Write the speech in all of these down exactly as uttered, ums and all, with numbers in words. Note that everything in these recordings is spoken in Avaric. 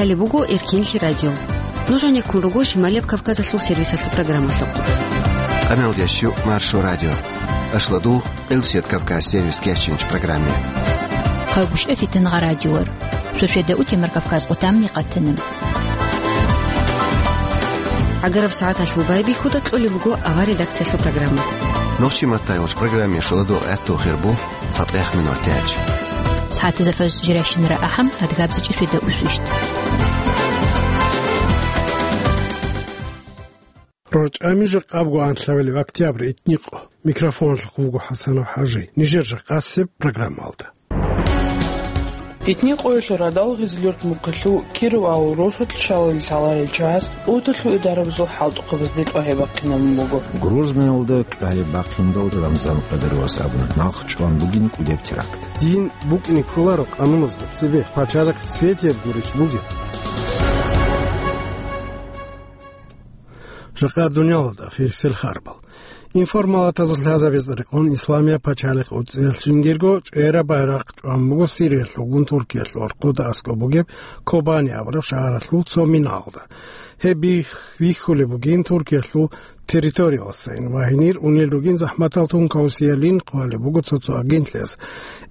Гьале буго Эркинлъи радио. Нуж гьанеккун руго Шималияб Кавказалъул сервисалъул программалъухъ. Къамел ящу Маршо радио. Ашладу Элсет Кавказ сервис кечинч программе. Хъагушев Фитнагъа радиор. Сосиеда утемар Кавказ къутамни къатана. Агараб сагӀаталъул байбихьуда кьолеб буго авар редакциялъул программа. Нохчи маттайолч программе шуладу гӀатту хирбу. ЦатӀех минутач. СагӀатазда фаз жиращинара ахӀам, адгабзичӀи светда усвищт. РорчӀами жакъабго анлъавилеб октябрь итникъо. Микрофоналъухъ вуго ХӀасанов ХӀажи. Нижер жакъасеб программалда. Итникъоялъул радал Гъизлюрт мухъалъул Киров авул росулъ шалал лъаларел чагӀаз Уталъул идарабазул хӀалтӀухъабазде тӀогьиб бахъинабун буго. Грознаялда кьвалеб бахъиндал Рамзан Къадировас абуна, нахъ чӀван бугин кӀудеб теракт. Дин букӀине кколаро къануназда цебе, пачалихъ цветияб гурищ бугеб? Жакъа дуниялалда хирсел харбал. Информалатазул лъазабазда рекъон Исламияб пачалихъ уцӀцӀиялъ жиндирго чӀвера байрахъ чӀван буго Сириялъулгун Туркиялъул архуда аскӀоб бугеб Кобани абураб шагьаралъул цо минаялда. Гьеб бих-, бихьулеб бугин Туркиялъул территорияласайин ва гьенир унел ругин захӀматал тункаусиялин хъвалеб буго цо-цо агентлъиялъ.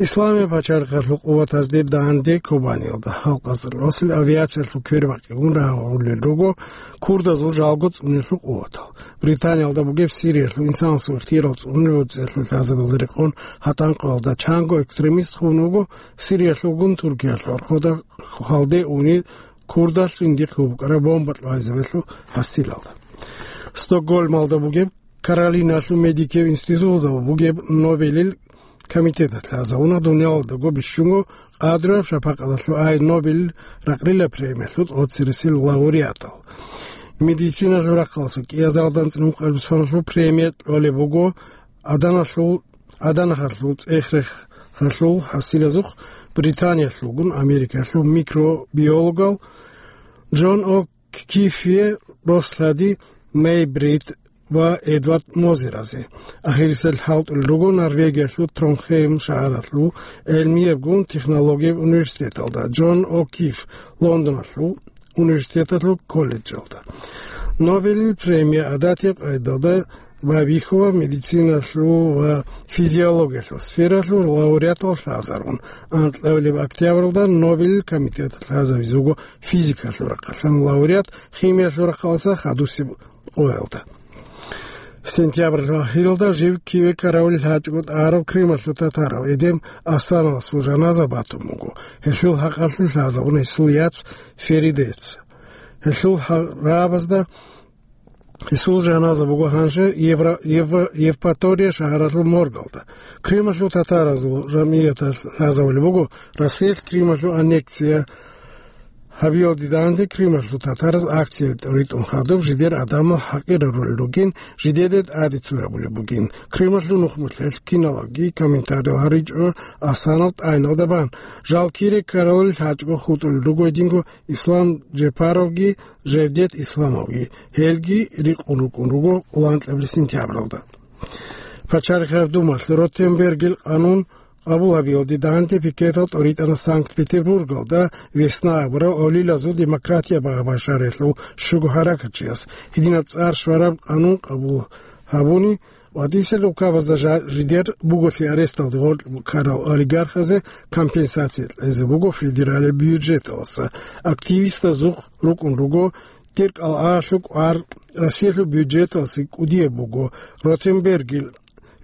Исламияб пачалихъалъул къуватазде данде Кобаниялда халкъазда росил авиациялъул квербакъигун рагьулел руго курдазул жалго цӀунелъул къуватал. Британиялда бугеб Сириялъул инсанасул ихтияр цӀунел уцӀцӀиялъул лъазабазда рекъон гьатӀанкъоялда чанго экстремист хун вуго Сириялъулгун Туркиялъул архуда хвалде уни курдалъ жиндихъе букӀараб бомба кьвайзабелъул гьасилалда. Стокгольмалда бугеб Каролиналъул медикияв институталда бугеб Нобелил комитеталъ лъазабуна дуниялалдаго бищунго къадру шапакъаталъул ай Нобелил ракълила премиялъул тӀоцересел лауреатал. Медициналъул рахъалъа кӀиазаралда анцӀила ункъабилеб соналъул премия кьолеб буго Аданалъул, Аданахалъул цӀех-рехалъул хӀасилазухъ Британиялъулгун Америкаялъул микробиологал Джон О'Кифие, Рослъади Мейбрид ва Эдвард Мозеразе. Ахирисел хӀалтӀулел руго Норвегиялъул Тронхейм шагьаралъул гӀелмиябгун технологияб университеталда, Джон О'Киф Лондоналъул университеталъул колледжалда. Нобелил премия гӀадатияб къайдалда байбихьула медициналъул ва физиологиялъул сфералъул лауреатал лъазарун. Анкьабилеб октябралда Нобелил комитеталъ лъазабизе буго физикалъул рахъалъан лауреат, химиялъул рахъалъа хадусеб къоялда. Сентябралъул ахиралда жив киве ккаравулел гьачӀого тӀагӀарав Крымалъул татарав Эдем Асановасул жаназа батун буго. Гьелъул хӀакъалъулъ лъазабуна гьесул яц Феридец. Гьелъул гьа-, рагӀабазда гьесул жаназа буго гьанже Евро-, Евро-, Евпатория шагьаралъул моргалда. Крымалъул татаразул жамгӀияталъ лъазабулеб буго Россиялъ Крымалъул аннексия гьабиялде данде Крымалъул татараз акция тӀоритӀун хадуб жидер гӀадамал хӀакъирарулел ругин, жидеде тӀаде цо гьабулеб бугин. Крымалъул нухмулъелъ киналги комментарий гьаричӀо Асанов тӀайналда бан. Жал кире ккаралел гьачӀго хутӀулел руго гьединго Ислам Джепаровги Жевдет Исламовги. Гьелги рикъун рукӀун руго лъалеб сентябралда. Пачалихъ гӀердумалъ Ротенбергил къанун къабул гьабиялде данде пикетал тӀоритӀана Санкт-Петербургалда «Весна» абурав гӀолилазул демократия багъа-башаралъул щуго гьаракатчияс. Гьединаб цӀар щвараб къанун къабул гьабуни, ВатӀисел улкабазда жа-, жидер буголъи аресталде гъоркь ккарал олигархазе компенсация кьезе буго федералияб бюджеталдаса. Активистазухъ рукӀун руго тӀиркӀал гӀалалъул кӀвар Россиялъул бюджеталдаса кӀудияб буго. Ротенбергил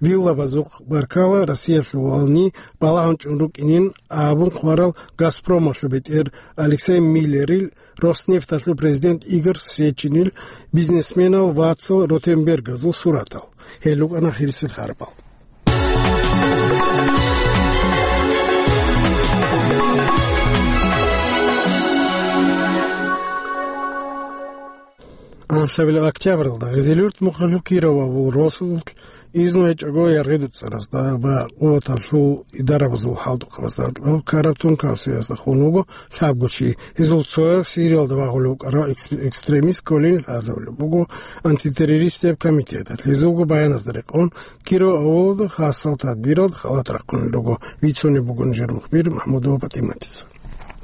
виллабазухъ баркала Россиялъулални балагьун чӀун рукӀинин абун хъварал Газпромалъул бетӀер Алексей Миллерил, Роснефталъул президент Игорь Сечинил, бизнесменал вацал Ротенбергазул суратал. Гьел рукӀана хирисел харбал. Анлъабилеб октябралда Гъизилюрт мухъалъул Киров авул росулъ изну гьечӀого яргъи дуцӀаразда ва къуваталъул идарабазул хӀалтӀухъабазда ккараб тункаусиязда хун вуго лъабго чи. Гьезул цояв Сириялда вагъулев вукӀарав экс-, экстремист кколин лъазабулеб буго антитеррористияб комитеталъ. Гьезулго баяназда рекъон, Киров авулалда хасал тадбиралда халат рахъунел руго. Вицунеб буго нижер мухбир МахӀмудова ПатӀиматица.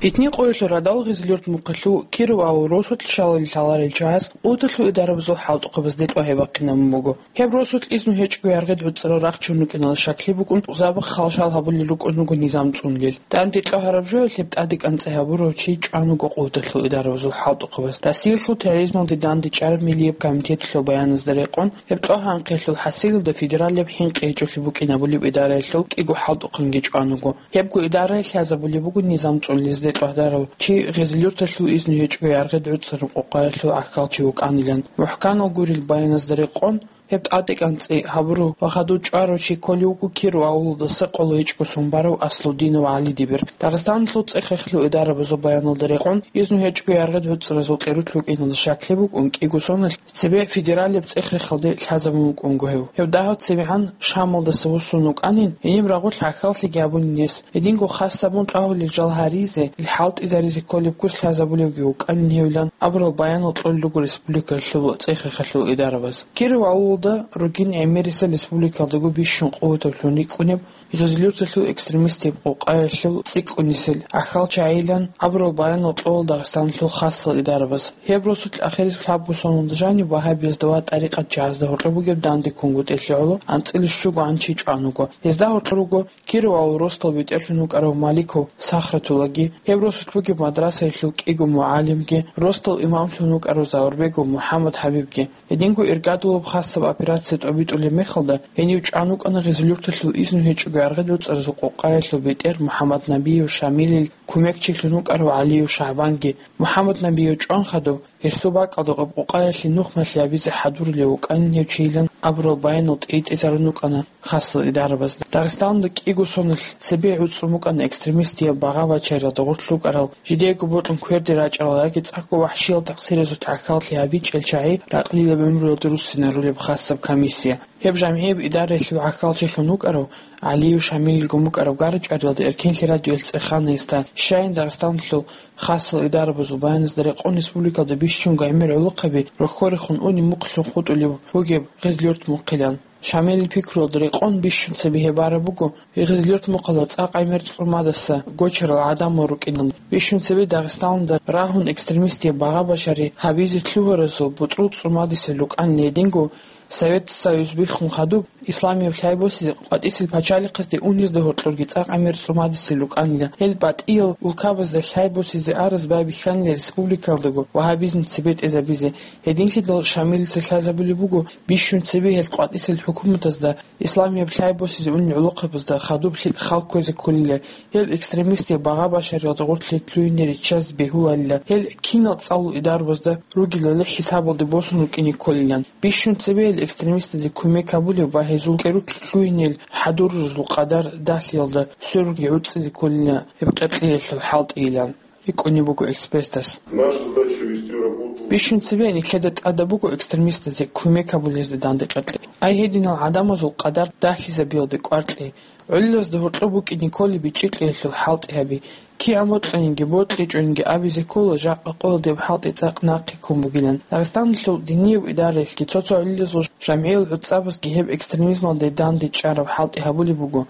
Итни къоялъул радал Гъизлюрт мухъалъул Киров авул росулъ шалали лъаларел чагӀаз къуваталъул идарабазул хӀалтӀухъабазде тӀогьаб бахъинабун буго. Гьеб росулъ изну гьечӀого яргъи гӀуцӀарал рахчун рукӀиналда шаклъи букӀун, забахъ халшал гьабулел рукӀун руго низам цӀунулел. Данде тӀогьараб жоялъ гьеб тӀаде кӀанцӀи гьабурав чи чӀван вуго къуваталъул идарабазул хӀалтӀухъабаз. Россиялъул терроризмалде данде чӀараб Миллияб комитеталъул баяназда рекъон, гьеб тӀогьанхъиялъул хӀасилалда федералияб хӀинкъи гьечӀолъи букӀин абулеб идараялъул кӀиго хӀалтӀухъанги чӀван вуго. Гьебго идараялъ лъазабулеб буго низам цӀунулезде тӀогьдарав чи Гъизлюрталъул изну гьечӀого яргъи гӀуцӀараб къокъаялъул гӀахьалчи вукӀанилан. МухӀканал гурел баяназда рекъон, гьеб тӀаде кӀанцӀи гьабурав ва хадув чӀварав чи кколев вуго Киров авулалдаса къоло гьечӀого сон барав Аслудинов ГӀалидибир. Дагъистаналъул цӀех-рехилъул идарабазул баяналда рекъон, изну гьечӀого яргъи гӀуцӀаразул къерулъ вукӀиналда шаклъи букӀун, кӀиго соналъ цебе федералияб цӀех-рехалде лъазабун вукӀунго гьев. Гьев дагьав цебегӀан Шамалдаса вуссун вукӀанин, гьениб рагъулъ гӀахьаллъиги гьабунин гьес. Гьединго хасабун тӀагьулел жал гьаризе, ил хӀалтӀизаризе кколеб куц лъазабулевги вукӀанин гьевилан абурал баянал кьолел руго республикалъул цӀех-рехалъул идарабаз. Киров авулалда ругин гӀемерисел республикалдаго бищун къуватаблъун рикӀкӀунеб Гъизлюрталъул экстремистияб къокъаялъул цӀикӀкӀунисел гӀахьалчагӀилан абурал баянал кьола Дагъистаналъул хасал идарабаз. Гьеб росулъ ахирисеб лъабго соналда жаниб вагьабиязда ва тӀарикъатчагӀазда гьоркьоб бугеб данде ккунгутӀелъи гӀоло анцӀила щуго гӀан чи чӀван вуго. Гьезда гьоркьор руго Киров авул росдал бетӀерлъун вукӀарав Маликов Сахратуллаги, гьеб росулъ бугеб мадрасаялъул кӀиго мугӀалимги, росдал имамлъун вукӀарав Заурбегов МухӀаммад ХӀабибги. Гьединго иргадулаб хасаб операция тӀобитӀулеб мехалда, гьенив чӀван вукӀана Гъизлюрталъул изну гьечӀого яргъи гӀуцӀаразул къокъаялъул бетӀер МухӀаммаднабиев Шамилил кумекчилъун вукӀарав ГӀалиев ШагӀбанги. МухӀаммаднабиев чӀван хадуб, гьесул бакӀалда къокъаялъе нухмалъи гьабизе хӀадурулев вукӀанин гьев чийилан абурал баянал тӀиритӀизарун рукӀана хасал идарабазда. Дагъистаналда кӀиго соналъ цебе гӀуцӀун букӀана экстремистияб багъа-бачариялда гъорлъ рукӀарал, жидеего бокьун кверде рачӀарал яги цӀакъго вахӀшиял такъсиразул тӀахьаллъи гьабичӀел чагӀи ракълилаб гӀумруялда руссинарулеб хасаб комиссия. Гьеб жамгӀияб идараялъул гӀахьалчилъун вукӀарав ГӀалиев Шамилилгун букӀараб гара-чӀвариялда эркенлъи радиоялъ цӀехана гьесда. Щайин Дагъистаналъул хасал идарабазул баяназда рекъон республикалда бищунго гӀемер гӀолохъаби рохьорехун унеб мухълъун хутӀулеб бугеб Гъизлюрт мухъилан. Шамилил пикруялда рекъон бищун цебе гьеб бараб буго, Гъизлюрт мухъала цӀакъ гӀемер цӀумадаса гочарал гӀадамал рукӀинан. Бищун цебе Дагъистаналда рагьун экстремистияб багъа-башари гьабизе лъугьаразул бутӀрул цӀумадисел рукӀанин гьединго Совет Союз биххун хадуб, исламияб лъай босизе къватӀисел пачалихъазде унезда гьоркьорги цӀакъ гӀемер цӀумадисел рукӀанила. Гьел батӀиял улкабазда лъай босизе араз байбихьанила республикалдаго вагьабизм цебетӀезабизе. Гьединлъидал Шамилица лъазабулеб буго, бищун цебе гьел къватӀисел хӀукуматазда исламияб лъай босизе унел гӀолохъабазда хадуб лъикӀ хал кквезе кколила. Гьел экстремистияб багъа-башариялда гъорлъе лъугьине риччазе бегьуларила. Гьел кинал цӀалул идарабазда ругелали хӀисабалде босун рукӀине кколилан. Бищун цебе гьел экстремистазе кумек гьабулеб ва гьезул къерулъ лъугьинел хӀадурзул къадар дагьлъиялда сверунги гӀуцӀизе кколила гьеб къеркьеялъул хӀалтӀийилан рикӀкӀунеб буго экспертас. Наша задача вести работу. Бищун цебе нилъеда тӀадаб буго экстремистазе кумек гьабулезда данде къеркье. Ай гьединал гӀадамазул къадар дагьлъизабиялде кӀваркье. ГӀолилазда гьоркьоб букӀине кколеб бичӀчӀи кьеялъул хӀалтӀи гьаби. КигӀан бокьанинги бокьичӀонинги абизе ккола, жакъа къоялда гьеб хӀалтӀи цӀакъ нахъе ккун бугилан. Дагъистаналъул динияб идараялъги цо-цо гӀолилазул жамгӀиял гӀуцӀабазги гьеб экстремизмалде данде чӀараб хӀалтӀи гьабулеб буго.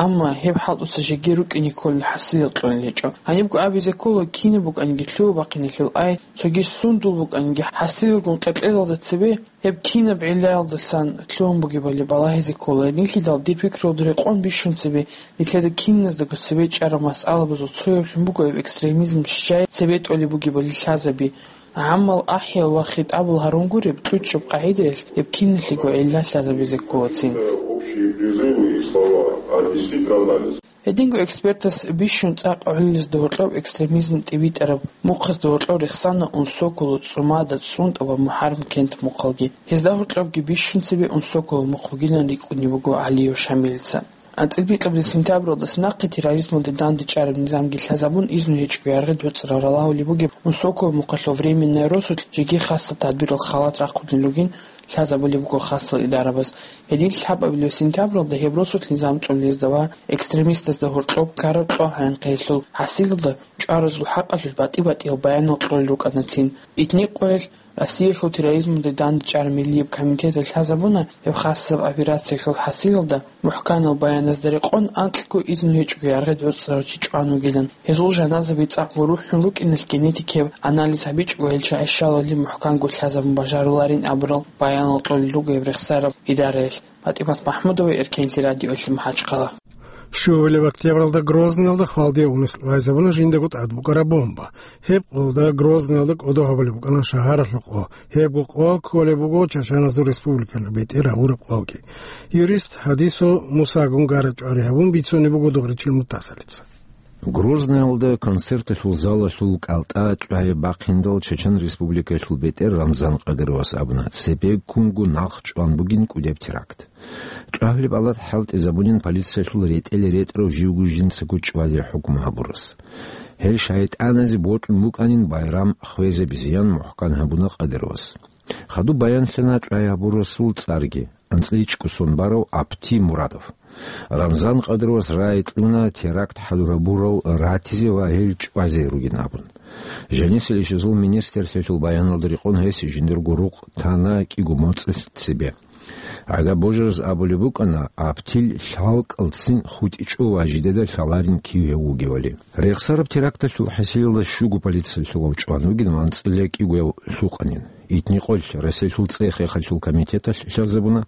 Амма гьеб хӀалтӀуца жеги рукӀине кколел хӀасилал кьолел гьечӀо. Гьанибго абизе ккола, кинаб букӀаниги лъугьа-бахъиналъул ай, цоги сундул букӀаниги хӀасилалгун къеркьелалда цебе гьеб кинаб гӀиллаялдасан лъугьун бугебали балагьизе ккола. Гьединлъидал дир пикруялда рекъон бищун цебе нилъеда киназдаго цебе чӀараб масъалабазул цояблъун буго гьеб экстремизм щай цебетӀолеб бугебали лъазаби. ГӀаммал ахӀиял ва хитӀабал гьарун гуреб, кьучӀаб къагӀидаялъ гьеб киналъего гӀилла лъазабизе кколацин. Общие призывы и слова, а действительно анализ. Гьединго экспертас бищун цӀакъ гӀолилазда гьоркьоб экстремизм тӀибитӀараб мухъазда гьоркьоб рехсана Унсоколо, ЦӀумада, ЦӀунтӀа ва МухӀаррам кент мухъалги. Гьезда гьоркьобги бищун цебе Унсоколо мухъ бугилан рикӀкӀунеб буго ГӀалиев Шамилица. АнцӀила бикьабилеб сентябралдаса нахъе терроризмалде данде чӀараб низамги лъазабун, изну гьечӀого яргъи гӀуцӀарал ралагьулеб бугеб Унсоколо мухъалъул временный росулъ жеги хасал тадбирал халат рахъунел ругин лъазабулеб буго хасал идарабаз. Гьедин лъабабилеб сентябралда гьеб росулъ низам цӀунулезда ва экстремистазда гьоркьоб ккараб кьогӀанхъиялъул хӀасилалда чӀваразул хӀакъалъулъ батӀи-батӀиял баянал кьолел рукӀанацин. Итни къоялъ Россиялъул терроризмалде дандчӀвай миллияб комитеталъ лъазабуна, гьеб хасаб операциялъул хӀасилалда мухӀканал баяназда рекъон анкьго изну гьечӀого яргъи боцӀарав чи чӀван вугилан. Гьезул жаназаби цӀакъ рухӀун рукӀиналъ генетикияб анализ гьабичӀого гьел чагӀи щалалде мухӀканго лъазабун бажаруларин абурал баянал кьолел руго гьеб рехсараб идараялъ. ПатӀимат МахӀмудова, Эркенлъи радиолъи, МахӀачхъала. Щуабилеб октябралда Грозныйалда хвалдияв унес лъугьайзабуна жиндаго тӀад букӀараб бомба. Гьеб къоялда Грозныйалда кӀодо гьабулеб букӀана шагьаралъул къо. Гьебго къо кколеб буго Чачаназул республикалъул бетӀер гьабураб къоги. Юрист ХӀадисов Мусагун гара-чӀвари гьабун бицунеб буго Дугъричил Мутасалица. Грозныйалда концерталъул залалъул кӀалтӀа чӀвазе бахъиндал Чечен Республикалъул бетӀер Рамзан Кадыровас абуна, цебеккунго нахъ чӀван бугин кӀудеб теракт. ЧӀвагьлеб алат хӀалтӀизабунин полициялъул ретӀел ретӀарав живго жинцаго чӀвазе хӀукму гьабурас. Гьел шайтӀаназе бокьун букӀанин байрам хвезабизеян мухӀкан гьабуна Кадыровас. Хадуб баянлъана чӀвазе гьабурасул цӀарги, анцӀила ичӀго сон барав Апти Мурадов. Рамзан Кадыровас рагӀи кьуна теракт хӀадурабурал ратизе ва гьел чӀвазе ругин абун. Жанисел ишазул министрлъиялъул баяналда рекъон гьес жиндирго рукъ тана кӀиго моцӀалъ цебе. Гьагаб божараз абулеб букӀана, Аптил лъалкӀалцин хутӀичӀо ва жидеда лъаларин кив гьев вугевали. Рехсараб теракталъул хӀасилалда щуго полициялъулав чӀван вугин ва анцӀила кӀиго гьев лъукъанин. Итникъоялъ Россиялъул цӀех-хехалъул комитеталъ лъазабуна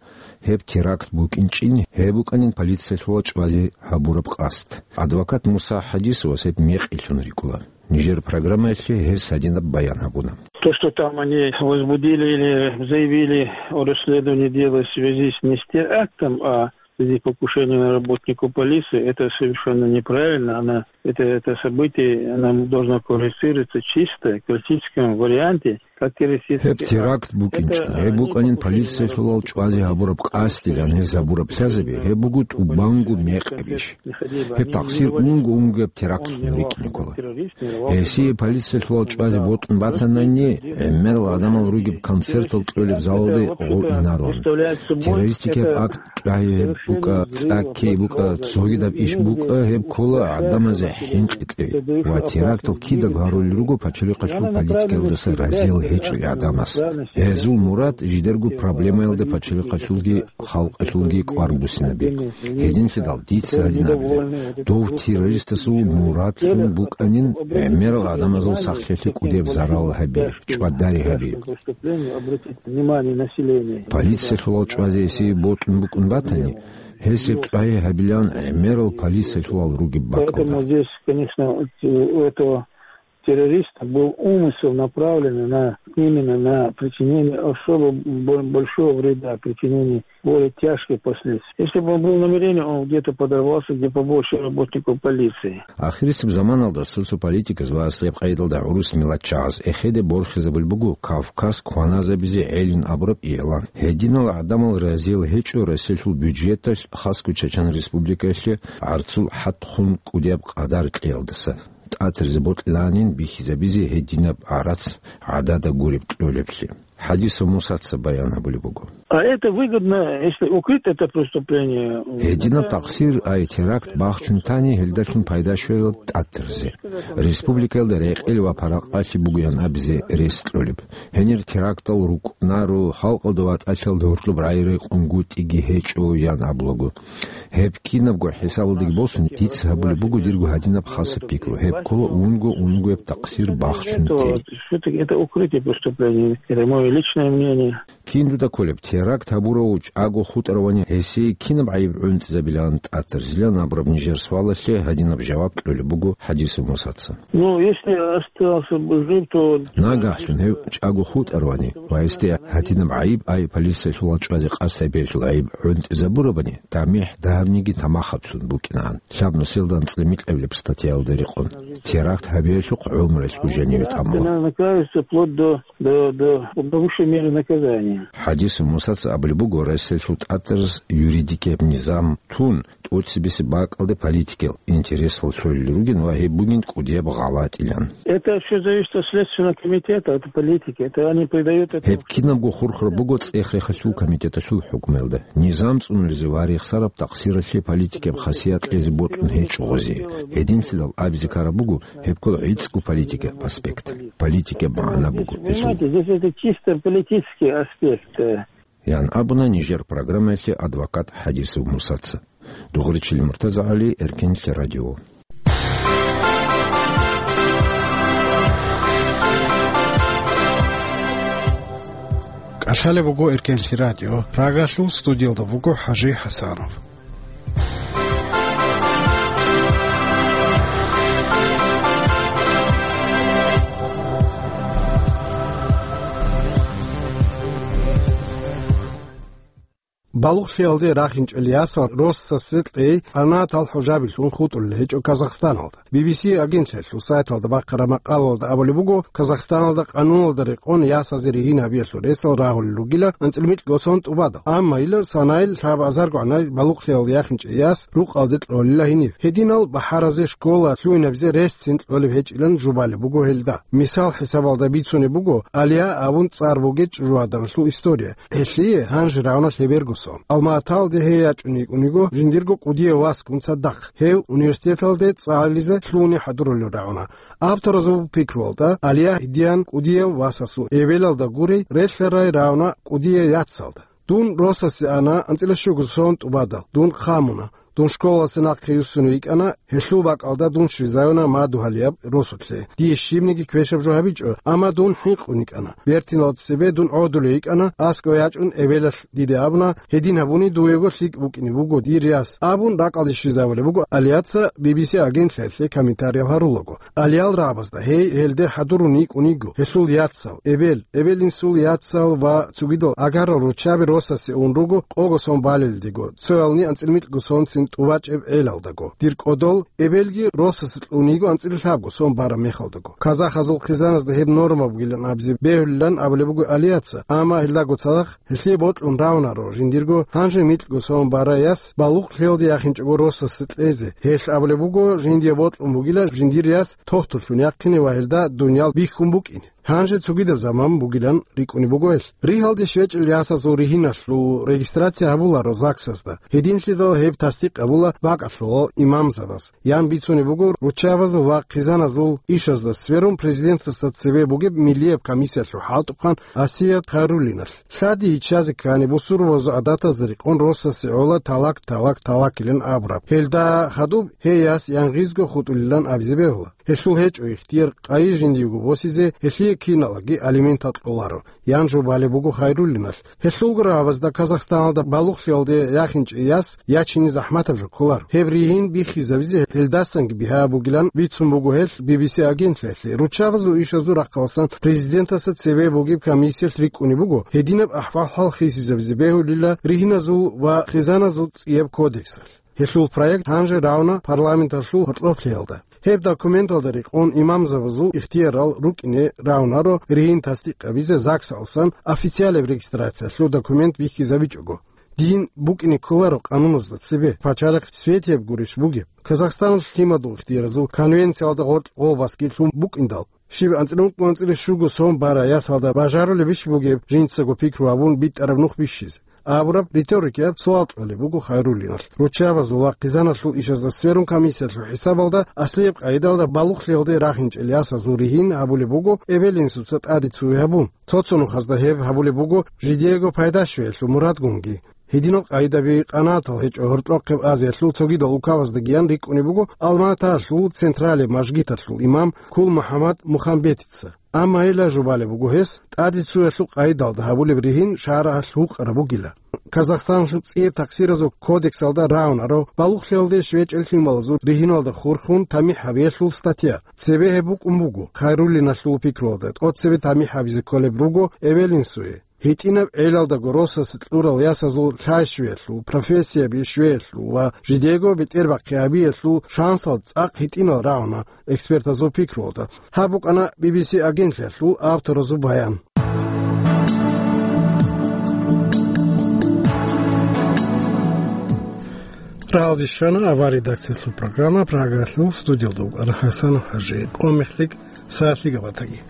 гьеб теракт букӀинчӀин, гьеб букӀанин полициялъулал чӀвазе гьабураб къасд. Адвокат Муса ХӀадисовас гьеб мекъилъун рикӀкӀуна. Нижер программаялъе гьес гьадинаб баян гьабуна. То, что там они возбудили или заявили о расследовании дела в связи с не с терактом, а в связи с покушением на работнику полиции, это совершенно неправильно. Она, это, это событие, оно должно квалифицироваться чисто в классическом варианте, как террористический акт. Гьеб теракт букӀинчӀин, гьеб букӀанин полициялъулал чӀвазе гьабураб къасдилан гьез гьабураб лъазаби, гьеб буго тӀубанго мекъабищ. Гьеб такъсир унго-унгояб терактлъун рикӀкӀине ккола. Гьесие полициялъулал чӀвазе бокьун батанани, гӀемерал гӀадамал ругеб концертал кьолеб залалде гъов инарун. Террористикияб акт чӀвазе гьеб букӀа, цӀаккей букӀа, цогидаб иш букӀа, гьеб ккола гӀадамазе хӀинкъи кьей. Ва терактал кидаго гьарулел руго пачалихъалъул политикаялдаса разиял гьечӀел гӀадамаз. Гьезул мурад жидерго проблемаялда пачалихъалъулги халкъалъулги кӀвар буссинаби. Гьединлъидал дица гьадин абилеб: дов террористасул мурадлъун букӀанин гӀемерал гӀадамазул сахлъиялъе кӀудияб зарал гьаби, чӀвадари гьаби. Полициялъулал чӀвазе гьесие бокьун букӀун батани, гьес гьеб чӀвазе гьабилан гӀемерал полициялъулал ругеб бакӀалда. Поэтому здесь, конечно, у этого террориста был умысел, направленный на, именно на причинение особо бо-, большого вреда, причинение более тяжких последствий. Если бы он был намерение, он где-то подорвался, где побольше работников полиции. Ахирисеб заманалда социополитиказ ва аслияб къайдалда гӀурус миллатчагӀаз эхеде борхизабулеб буго Кавказ кваназабизе гӀелин абураб игӀлан. Гьединал гӀадамал разиял гьечӀо Россиялъул бюджеталъ, хасго Чечен Республикаялъе гӀарцул хӀатхун кӀудияб къадар кьеялдаса. ТӀатарзе бокьиланин бихьизабизе гьединаб гӀарац гӀадада гуреб кьолеблъи. ХӀадисов Мусаца баян гьабулеб буго. А это выгодно, если укрыть это преступление. Гьединаб такъсир, ай теракт бахчун тани, гьелдалъун пайда щвела тӀатарзе. Республикаялда рекъел ва паракъалъи бугоян абизе рес кьолеб. Гьенир терактал рукӀунаро, халкъалда ватӀалъиялда гьоркьоб рагӀи рекъунгутӀиги гьечӀо, ян абулаго. Гьеб кинабго хӀисабалдаги босун, дица гьабулеб буго дирго гьадинаб хасаб пикру. Гьеб ккола унго-унгояб такъсир бахчун тей. Всё-таки это укрытие преступления. Это моё личное мнение. Кин дуда кколеб, теракт гьабурав чӀаго хутӀаравани гьесие кинаб гӀайиб гӀунтӀизабилан тӀатарзилан абураб нижер суалалъе гьадинаб жаваб кьолеб буго ХӀадисов Мусаца. Ну, если остался бы жив, то... Нагагьлъун гьев чӀаго хутӀаравани ва гьесде гьадинаб гӀайиб, ай полициялъулал чӀвазе къасд гьабиялъул гӀайиб гӀунтӀизабурабани, тамихӀ дагьабниги тамахаблъун букӀинагӀан, лъаб нусиялда анцӀила микьабилеб статьяялда рекъон. Теракт гьабиялъухъ гӀумруялъго жаниве тӀамула. Она накажется вплоть до, до, до, до высшей меры наказания. ХӀадисов Мусаца абулеб буго, Россиялъул тӀатарз юридикияб низам тун, боцӀи-бесеб бакӀалде политикиял интересал лъолел ругин ва гьеб бугин кӀудияб гъалатӀилан. Это всё зависит от Следственного комитета, от политики. Это они придают это. Гьеб кинабго хурхараб буго цӀех-рехалъул комитеталъул хӀукмуялда. Низам цӀунулезе ва рехсараб такъсиралъе политикияб хасият кьезе бокьун гьечӀо гъозе. Гьединлъидал абизе ккараб буго гьеб ккола гӀицӀго политикияб аспект. Политикияб магӀна буго гьелъул. Понимаете, здесь это чисто политический аспект, э. Ян абуна нижер программаялъе адвокат Хадисов Мусаца. Дугъричил МуртазагӀали, Эркенлъи радио. КӀалъалеб буго Эркенлъи радио. Прагалъул студиялда буго ХӀажи ХӀасанов. Балугълъиялде рахинчӀел ясал росасе кьей къанатал хӀужабилъун хутӀулел гьечӀо Казахстаналда. Би би си агентлъиялъул сайталда бахъараб макъалалда абулеб буго, Казахстаналда къануналда рекъон ясазе ригьин гьабиялъул ресал рагьулел ругила анцӀила микьго сон тӀубадал. Амма ила санайил лъабазаргогӀанай балугълъиялде яхинчӀей яс рукъалде кьолила гьениб. Гьединал бахӀаразе школа лъугьинабизе ресцин кьолеб гьечӀилан жубалеб буго гьелда. Мисал хӀисабалда бицунеб буго Алия абун цӀар бугей чӀужугӀаданалъул история. Гьелъие гьанже рагӀуна лъеберго сон. Алма-Аталде гьей ячӀун йикӀун йиго жиндирго кӀудияв васгун цадахъ. Гьев университеталде цӀализе лъугьуни хӀадурулел рагӀуна. Авторазул пикруялда, Алия гьедиян кӀудияв васасул эбелалда гурей релълъарай рагӀуна кӀудияв яцалда. Дун росасе ана анцӀила щуго сон тӀубадал. Дун хъамуна. Дун школалъе нахъе юссун йикӀана, гьелъул бакӀалда дун щвезавуна мадугьалияб росулъе. Дие щибниги квешаб жо гьабичӀо, амма дун хӀинкъун йикӀана. Бертиналда цебе дун гӀодулев йикӀана, аскӀов ячӀун эбелалъ диде абуна, гьедин гьабуни дуего лъикӀ букӀине буго дир яс, абун ракӀалде щвезабулеб буго Алияца Би Би Си агентлъиялъе комментариял гьарулаго. Алиял рагӀабазда гьей гьелде хӀадурун йикӀун йиго, гьелъул яцал, эбел, эбел-инсул яцал ва цогидал агарал руччаби росасе ун руго къого сон балелдего, цоялни анцӀила микьго сонцин тӀубачӀеб гӀелалдаго. Дир кӀодол, эбелги росасе кьун йиго анцӀила лъабго сон бараб мехалдаго. Казахазул хъизаназда гьеб норма бугилан абизе бегьулилан абулеб буго Алияца, амма гьелдаго цадахъ гьелъие бокьун равунаро жиндирго гьанже микьго сон барай яс балугълъиялде яхинчӀого росасе кьезе. Гьелъ абулеб буго, жиндие бокьун бугила жиндир яс тохтуллъун яхъине ва гьелда дуниял бихьун букӀине. Гьанже цогидаб заман бугилан рикӀкӀунеб буго гьелъ. Ригьалде щвечӀел ясазул ригьиналъул регистрация гьабуларо ЗАГСазда. Гьединлъидал гьеб тасдикъ гьабула бакӀалъулал имамзабаз. Ян бицунеб буго руччабазул ва хъизаназул ишазда сверун президентасда цебе бугеб миллияб комиссиялъул хӀалтӀухъан Асият Хайруллиналъ. Лъади гьиччазе ккани, бусурбабазул гӀадатазда рекъон росасе гӀола талак, талак, талакилан абураб. Гьелда хадуб гьей яс янгъизго хутӀулилан абизе бегьула. Гьелъул гьечӀо ихтияр къайи жиндиего босизе, гьелъие киналаги алиментал кьоларо, ян жубалеб буго Хайруллиналъ. Гьелъулго рагӀабазда Казахстаналда балугълъиялде яхинчӀей яс ячине захӀматаб жо кколаро. Гьеб ригьин биххизабизе гьелдасанги бигьа бугилан бицун буго гьелъ Би Би Си агентлъиялъе. Руччабазул ишазул рахъаласан президентасда цебе бугеб комиссиялъ рикӀкӀунеб буго, гьединаб ахӀвал-хӀал хисизабизе бегьулила ригьиназул ва хъизаназул цӀияб кодексалъ. Гьелъул проект гьанже равна парламенталъул гьоркьоблъиялда. Гьеб документалда рекъон имамзабазул ихтиярал рукӀине равнаро ригьин тасдикъабизе ЗАГСалсан официалаб регистрациялъул документ бихьизабичӀого. Дин букӀине кколаро къануназда цебе, пачалихъ светияб гурищ бугеб. Казахстаналъ лъимадул ихтияразул конвенциялда гъоркь гъолбасги лъун букӀиндал, щиб анцӀила ункъо анцӀила щуго сон бара ясалда бажарулебищ бугеб жинцаго пикру гьабун битӀараб нух бищизе? Абураб риторикияб суал кьолеб буго Хайруллиналъ. Руччабазул ва хъизаналъул ишазда сверун комиссиялъул хӀисабалда аслияб къайдалда балугълъиялде рахинчӀел ясазул ригьин гьабулеб буго эбел-инсуца тӀаде цуе гьабун. Цо-цо нухазда гьеб гьабулеб буго жидеего пайда щвеялъул мурадгунги. Гьединал къайдаби къанатал гьечӀо гьоркьохъеб Азиялъул цогидал улкабаздагиян рикӀкӀунеб буго Алма-Аталъул централияб мажгиталъул имам Кул МухӀаммад Мухамбетица. Амма гьела жубалеб буго гьес, тӀаде цуялъул къайдалда гьабулеб ригьин шарагӀалъ гьукъараб бугила. Казахстаналъул цӀияб такъсиразул кодексалда рагӀунаро балугълъиялде щвечӀел лъималазул ригьиналда хурхун тамихӀ гьабиялъул статья. Цебе гьеб букӀун буго, Хайруллиналъул пикруялда, тӀоцебе тамихӀ гьабизе кколеб руго эбел-инсуе. ГьитӀинаб гӀелалдаго росасе кьурал ясазул лъай щвеялъул, профессияби щвеялъул ва жидего бетӀербахъи гьабиялъул шансал цӀакъ гьитӀинал рагӀуна экспертазул пикруялда. Гьаб букӀана Би Би Си агентлъиялъул авторазул баян. Рагьалде щвана авар редакциялъул программа, Прагалъул студиялда вукӀана ХӀасан ХӀажи. Къо мехлъи сагӀат лъикӀаб батаги.